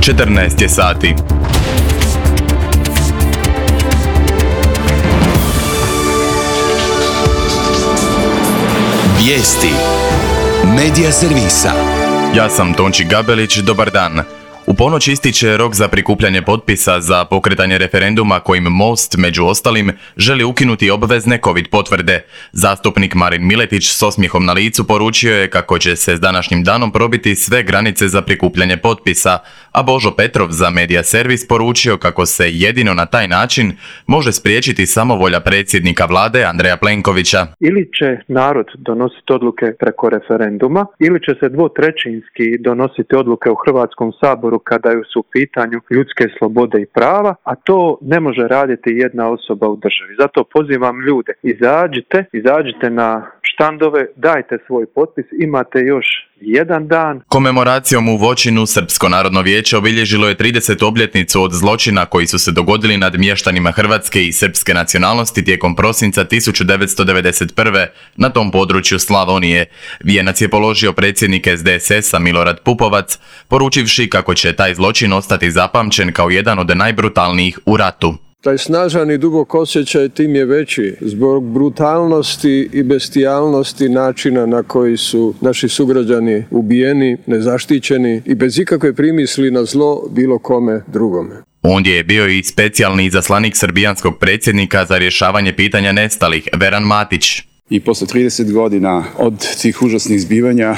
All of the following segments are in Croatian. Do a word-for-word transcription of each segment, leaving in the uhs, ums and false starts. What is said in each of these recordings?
četrnaest je sati. Vijesti Medija servisa. Ja sam Tonči Gabelić, dobar dan. U ponoć ističe rok za prikupljanje potpisa za pokretanje referenduma kojim Most, među ostalim, želi ukinuti obvezne covid potvrde. Zastupnik Marin Miletić s osmijehom na licu poručio je kako će se s današnjim danom probiti sve granice za prikupljanje potpisa, a Božo Petrov za Medija servis poručio kako se jedino na taj način može spriječiti samovolja predsjednika vlade Andreja Plenkovića. Ili će narod donositi odluke preko referenduma, ili će se dvotrećinski donositi odluke u Hrvatskom saboru kada su u pitanju ljudske slobode i prava, a to ne može raditi jedna osoba u državi. Zato pozivam ljude, izađite, izađite na štandove, dajte svoj potpis, imate još jedan dan. Komemoracijom u Voćinu Srpsko narodno vijeće obilježilo je tridesetu obljetnicu od zločina koji su se dogodili nad mještanima hrvatske i srpske nacionalnosti tijekom prosinca tisuću devetsto devedeset prve. na tom području Slavonije. Vijenac je položio predsjednik S D S S-a Milorad Pupovac, poručivši kako će taj zločin ostati zapamćen kao jedan od najbrutalnijih u ratu. Taj snažan i dubok osjećaj tim je veći zbog brutalnosti i bestijalnosti načina na koji su naši sugrađani ubijeni, nezaštićeni i bez ikakve primisli na zlo bilo kome drugome. Ondje je bio i specijalni izaslanik srbijanskog predsjednika za rješavanje pitanja nestalih, Veran Matić. I posle trideset godina od tih užasnih zbivanja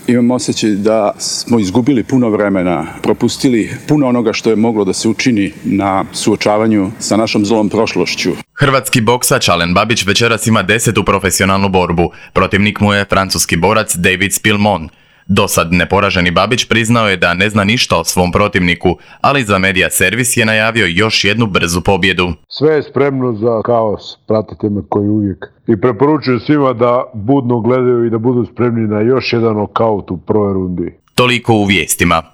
imam osjećaj da smo izgubili puno vremena, propustili puno onoga što je moglo da se učini na suočavanju sa našom zlom prošlošću. Hrvatski boksač Alen Babić večeras ima desetu profesionalnu borbu. Protivnik mu je francuski borac David Spilmon. Dosad neporaženi Babić priznao je da ne zna ništa o svom protivniku, ali za Medija servis je najavio još jednu brzu pobjedu. Sve je spremno za kaos, pratite me koji uvijek. I preporučujem svima da budno gledaju i da budu spremni na još jedan nokaut u prvoj rundi. Toliko u vijestima.